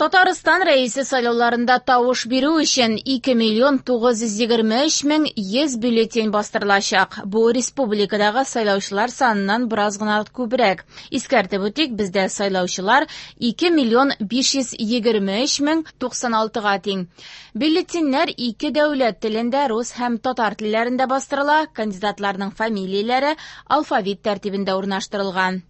Татарстан Рәисе сайлауларында тавыш бирү өчен 2 миллион 923 мең 100 бюллетень бастырылачак. Бу республикадагы сайлаучылар саныннан бераз гына күбрәк. Искәртеп үтик, бездә сайлаучылар 2 миллион 523 мең 96-га тиң. Бюллетеньнәр ике дәүләт телендә, рус һәм татар телләрендә бастырыла. Кандидатларның фамилияләре алфавит тәртибендә урнаштырылган.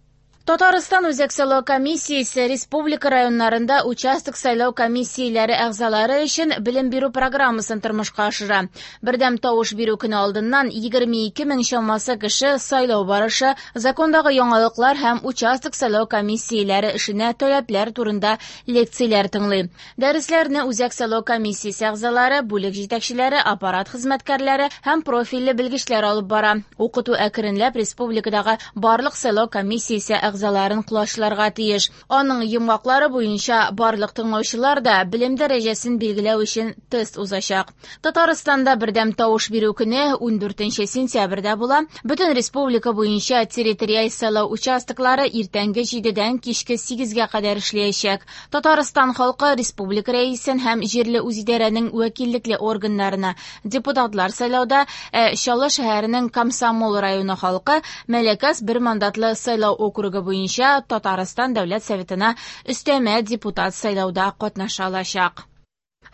Татарстан Үзәк сайлау комиссиясе республика районнарында участок сайлау комиссияләре әгъзалары өчен белем бирү программасын тормышка ашыра. Бердәм тавыш бирү көне алдыннан 22 мең чамасы кеше сайлау барышы, закондагы яңалыклар һәм участок сайлау комиссияләре эшенә таләпләр турында лекцияләр тыңлый. Дәресләрне Үзәк сайлау комиссиясе әгъзалары, бүлек җитәкчеләре, аппарат хезмәткәрләре һәм профильле белгечләр алып бара. Укыту әкренләп республикадагы барлык сайлау комиссиясе әгъзаларын колачларга тиеш. Аның йомгаклары буенча барлык тыңлаучылар да белем дәрәҗәсен билгеләү өчен тест узачак. Татарстанда бердәм тавыш бирү көне 14 сентябрьдә була. Бөтен республика буенча территориаль сайлау участоклары иртәнге 7-дән кичке 8-гә кадәр эшләячәк. Татарстан халкы республика рәисен һәм җирле үзидарәнең вәкиллекле органнарына депутатлар сайлауда, ә Чаллы шәһәренең Комсомол районы халкы Мәләкәс бер мандатлы сайлау округы буенча Татарстан Дәүләт Советына өстәмә депутат сайлауда катнаша алачак.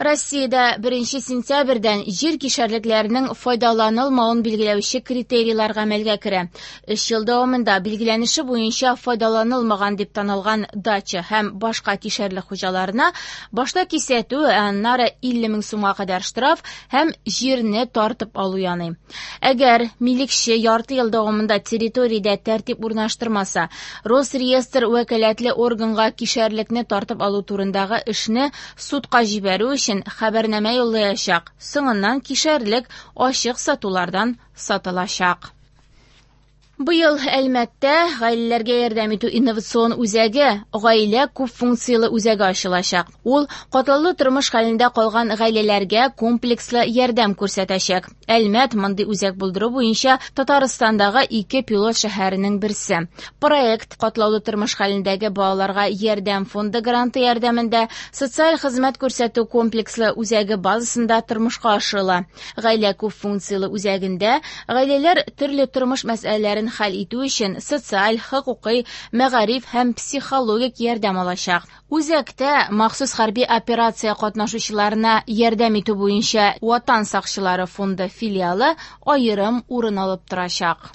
Россиядә 1 сентябрьдән җир кишәрлекләренең файдаланылмавын билгеләүче критерийлар гамәлгә керә. 3 ел дәвамында билгеләнеше буенча файдаланылмаган дип танылган дача һәм башка кишәрлек хуҗаларына башта кисәтү, ә аннары 50 мең сумга кадәр штраф һәм җирне тартып алу яный. Әгәр милекче ярты ел дәвамында территориядә тәртип урнаштырмаса, Росреестр вәкаләтле органга кишәрлекне тартып алу турындагы эшне судка җибәрү өчен хәбәрнамә юллаячак. Соңыннан кишәрлек ачык сатулардан сатылачак. Быел Әлмәттә гаиләләргә ярдәм итү инновацион үзәге, гаилә күп функцияле үзәге ачылачак. Ул катлаулы тормыш хәлендә калган гаиләләргә комплекслы ярдәм күрсәтәчәк. Әлмәт мондый үзәк булдыру буенча Татарстандагы ике пилот шәһәренең берсе. Проект катлаулы тормыш хәлендәге балаларга ярдәм фонды гранты ярдәмендә социаль хезмәт күрсәтү комплекслы үзәге базасында тормышка ашырыла. Гаилә күп функцияле үзәгендә гаиләләр төрле тормыш мәсьәләләрен хәл итү өчен социаль, хокукый, мәгариф һәм психологик ярдәм алачак. Үзәктә махсус хәрби операция катнашучыларына ярдәм итү буенча Ватан сакчылары фонды филиалы аерым урын алып торачак.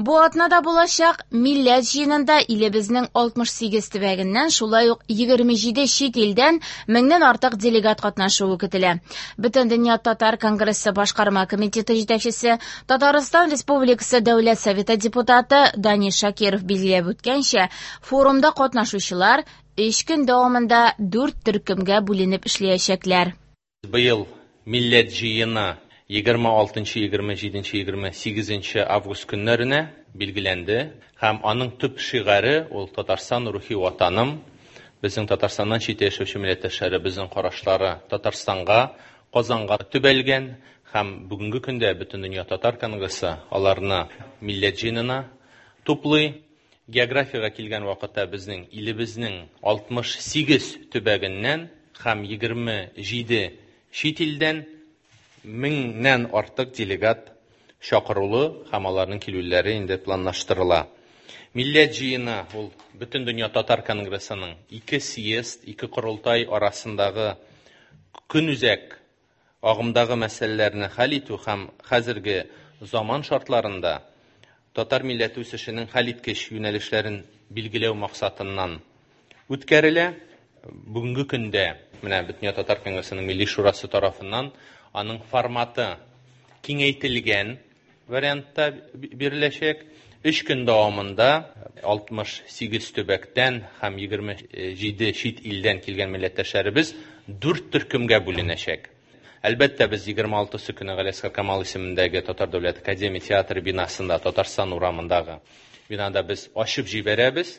Бу атнада булачак Милләт җыенында илебезнең 68 төбәгеннән, шулай ук 27 чит илдән меңнән артык делегат катнашуы көтелә. Бөтендөнья татар конгрессы башкарма комитеты җитәкчесе, Татарстан Республикасы Дәүләт Советы депутаты Данис Шакиров билгеләп үткәнчә, форумда катнашучылар 3 көн дәвамында 4 төркемгә бүленеп эшләячәкләр. Быел Милләт җыены 26, 27, 28 август көннәренә билгеләнде һәм аның төп шигаре ул Татарстан рухи ватаным. Безнең Татарстаннан читтә яшәүче милләттәшләребезнең карашлары Татарстанга, Казанга төбәлгән һәм бүгенге көндә Бөтендөнья татар конгрессы аларны Милләт җыенына туплый. Географиягә килгән вакытта безнең илебезнең 68 төбәгеннән һәм 27 чит илдән меңнән артык делегат чакырулы һәм аларның килүләре инде планлаштырыла. Милләт җыены ул Бөтендөнья татар конгрессының ике съезд, ике корылтай арасындагы көнүзәк агымдагы мәсьәләләрне хәл итү һәм хәзерге заман шартларында татар милләте үсешенең хәлиткеч юнәлешләрен билгеләү максатыннан үткәрелә. Бүгенге көндә менә Бөтендөнья татар конгрессының Милли шурасы тарафыннан аның форматы киңәйтелгән вариантта биреләчәк. 3 көн дәвамында 68 төбәктән һәм 27 чит илдән килгән милләттәшләребез 4 төркемгә бүленәчәк. Әлбәттә, без 26 көне Галиәсгар Камал исемендәге Татар дәүләт академия театры бинасында, Татарстан урамындагы бинада без ачып җибәрәбез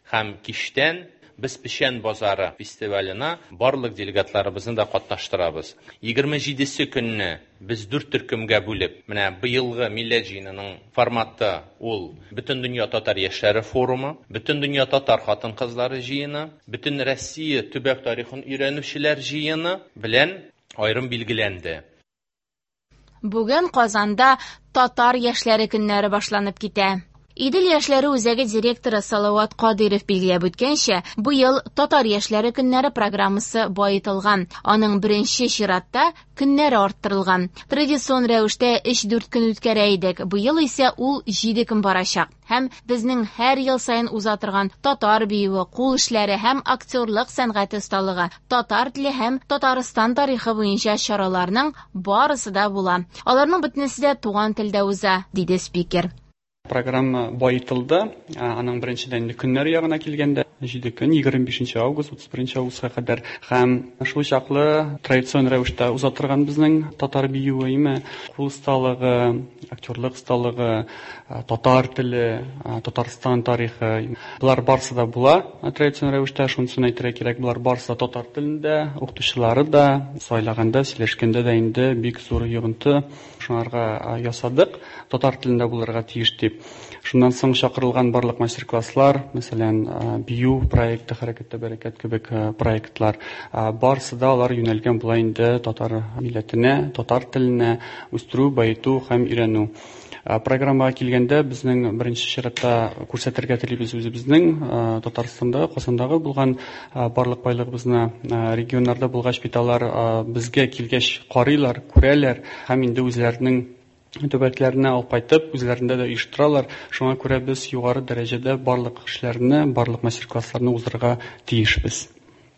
һәм кичтән Без Печән базары фестиваленә барлык делегатларыбызны да катнаштырабыз. 27-се көнне без дүрт төркемгә бүлеп, менә быелгы Милләт җыенының форматы ул Бөтендөнья татар яшьләре форумы, Бөтендөнья татар хатын-кызлары җыены, Бөтен Россия төбәк тарихын өйрәнүчеләр җыены белән аерым билгеләнде. Бүген Казанда Татар яшьләре көннәре башланып китә. Идел яшьләре үзәге директоры Салават Кадыйров билгеләп үткәнчә, быел Татар яшьләре көннәре программасы баетылган. Аның беренче чиратта көннәре арттырылган. Традицион рәвештә 3-4 көн үткәрә идек. Быел исә ул 7 көн барачак. Һәм безнең һәр ел саен уза торган татар биюе, кул эшләре һәм актерлык сәнгате осталыгы, татар теле һәм Татарстан тарихы буенча чараларның барысы да була. Аларның бөтенесе дә туган телдә уза, диде спикер. Программа баетылды. Аның беренчедән инде көннәр ягына килгәндә, 7 көн, 25 август, 31 августка кадәр һәм шул чаклы традицион рәвештә уза торган безнең татар биюе, име, кул осталыгы, актерлык осталыгы, татар теле, Татарстан тарихы. Болар барысы да була традицион рәвештә, шунысын әйтергә кирәк, болар барысы да татар телендә, укытучылары да сайлаганда, сөйләшкәндә дә инде бик зур йогынты шуңарга ясадык, татар телендә булырга тиеш дип. Шуннан соң чакырылган барлык мастер-класслар, мәсәлән, бию проекты, Хәрәкәттә бәрәкәт кебек проектлар, барысы да алар юнәлгән була инде татар милләтенә, татар теленә үстерү, баету һәм өйрәнү. Программага килгәндә, безнең беренче чиратта күрсәтергә телибез үзебезнең Татарстанда, Казандагы булган барлык байлыгыбызны. Регионнарда булгач бит алар безгә килгәч карыйлар, күрәләр һәм инде үзләренең төбәкләренә алып кайтып, үзләрендә дә оештыралар. Шуңа күрә без югары дәрәҗәдә барлык эшләрне, барлык мастер-классларны уздырырга тиешбез.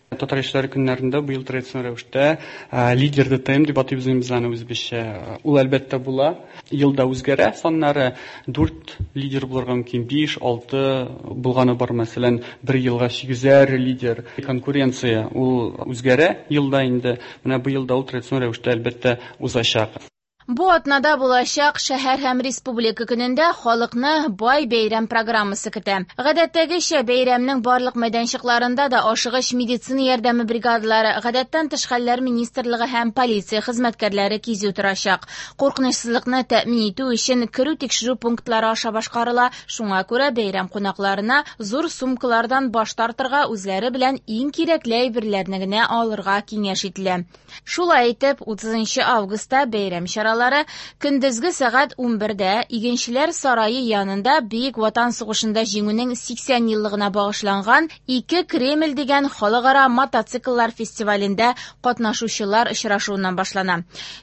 Татар яшьләре көннәрендә быел традицион рәвештә лидер ДТМ дип атыйбыз инде без аны үзебезчә. Ул әлбәттә була. Елда үзгәрә саннары. 4 лидер булырга мөмкин, 5, 6 булганы бар, мәсәлән, бер елга 8 лидер. Конкуренция ул үзгәрә елда инде. Менә быел да ул традицион рәвештә әлбәттә узачак. Бу атнада булачак шәһәр һәм республика көнендә халыкны бай бәйрәм программасы көтә. Гадәттәгечә бәйрәмнең барлык мәйданчыкларында да ашыгыч медицина ярдәме бригадалары, гадәттән тыш хәлләр министрлыгы һәм полиция хезмәткәрләре кизү торачак. Куркынычсызлыкны тәэмин итү өчен керү тикшерү пунктлары аша башкарыла. Шуңа күрә бәйрәм кунакларына зур сумкалардан баш тартырга, үзләре белән иң кирәкле әйберләрне генә алырга киңәш ителә. Шулай итеп, 30 августта бәйрәм чаралары көндезге сәгать 11-дә Игенчеләр сарае янында Бөек Ватан сугышында җиңүнең 80 еллыгына багышланган Ике Кремль дигән халыкара мотоцикллар фестивалендә катнашучылар очрашуыннан башлана.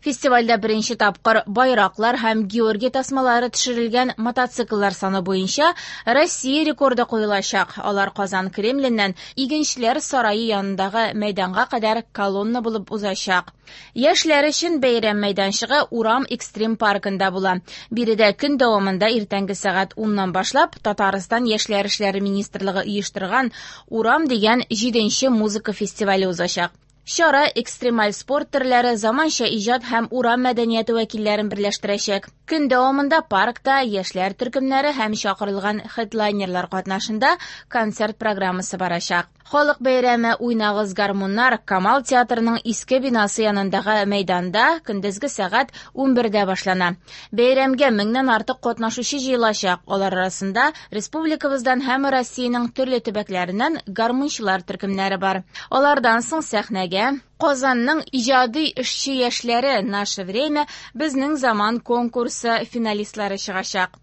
Фестивальдә беренче тапкыр байраклар һәм Георгий тасмалары төшерелгән мотоцикллар саны буенча Россия рекорды куелачак. Алар Казан Кремленнән Игенчеләр сарае янындагы мәйданга кадәр колонна булып узачак. Яшьләр өчен бәйрәм мәйданчыгы Урам экстрим паркында була. Биредә көн дәвамында иртәнге сәгать 10-нан башлап Татарстан яшьләр эшләре министрлыгы оештырган Урам дигән 7-нче музыка фестивале узачак. Чара экстремаль спорт төрләре, заманча иҗат һәм урам мәдәнияте вәкилләрен берләштерәчәк. Көн дәвамында паркта яшьләр төркемнәре һәм чакырылган хедлайнерлар катнашында концерт программасы барачак. Халык бәйрәме Уйнагыз гармуннар Камал театрының иске бинасы янындагы мәйданда көндезге сәгать 11-дә башлана. Бәйрәмгә меңнән артык катнашучы җыелачак. Алар арасында республикабыздан һәм Россиянең төрле төбәкләреннән гармунчылар төркемнәре бар. Алардан соң сәхнәгә Казанның иҗади эшче яшьләре «Наше время» безнең заман конкурсы финалистлары чыгачак.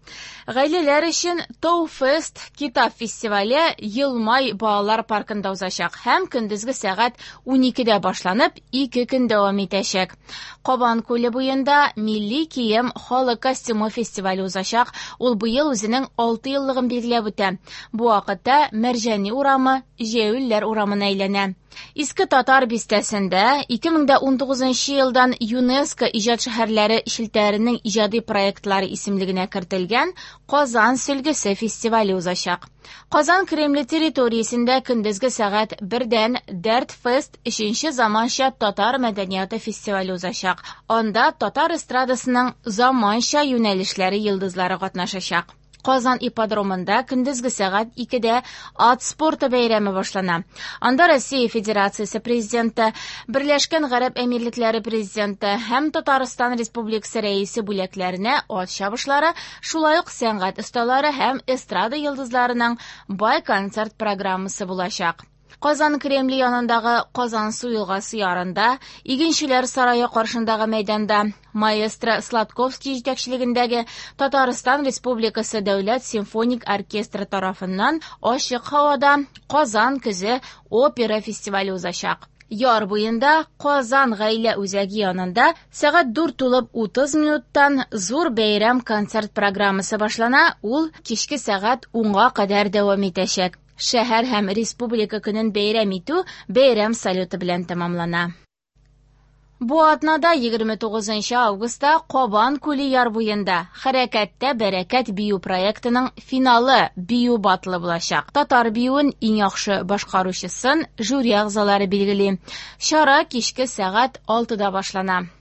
Гаиләләр өчен Тау-фест китап фестивале Елмай балалар паркында узачак һәм көндезге сәгать 12-дә башланып, 2 көн дәвам итәчәк. Кабан күле буенда милли кием халык костюмы фестивале узачак. Ул быел үзенең 6 еллыгын билгеләп үтә. Бу вакытта Мәрҗани урамы Җәүлләр урамына әйләнә. Иске Татар бистәсендә 2019 елдан ЮНЕСКО иҗат шәһәрләре челтәренең иҗади проектлары исемлегенә кертелгән Казан сөлгесе фестивале узачак. Казан Кремле территориясендә көндезге сәгать 1-дән Дәрт фест 3-нче заманча татар мәдәнияте фестивале узачак. Анда татар эстрадасының заманча юнәлешләре йолдызлары катнашачак. Казан ипподромында көндезге сәгать 2-дә ат спорты бәйрәме башлана. Анда Россия Федерациясе Президенты, Берләшкән Гарәп Әмирлекләре Президенты һәм Татарстан Республикасы Рәисе бүләкләренә ат чабышлары, шулай ук сәнгать осталары һәм эстрада йолдызларының бай концерт программасы булачак. Казан Кремле янындагы Казансу елгасы ярында, Игенчеләр сарае каршындагы мәйданда маэстро Сладковский җитәкчелегендәге Татарстан Республикасы Дәүләт симфоник оркестры тарафыннан ачык һавада Казан көзе опера фестивале узачак. Яр буенда Казан гаилә үзәге янында сәгать 4 тулып 30 минуттан зур бәйрәм концерт программасы башлана, ул кичке сәгать 10-га кадәр дәвам итәчәк. Шәһәр һәм Республика көнен бәйрәм итү бәйрәм салюты белән тәмамлана. Бу атнада 29 августта Кабан күле яр буенда Хәрәкәттә бәрәкәт бию проектының финалы бию батлы булачак. Татар биюен иң яхшы башкаручысын жюри әгъзалары билгели. Чара кичке сәгать 6-да башлана.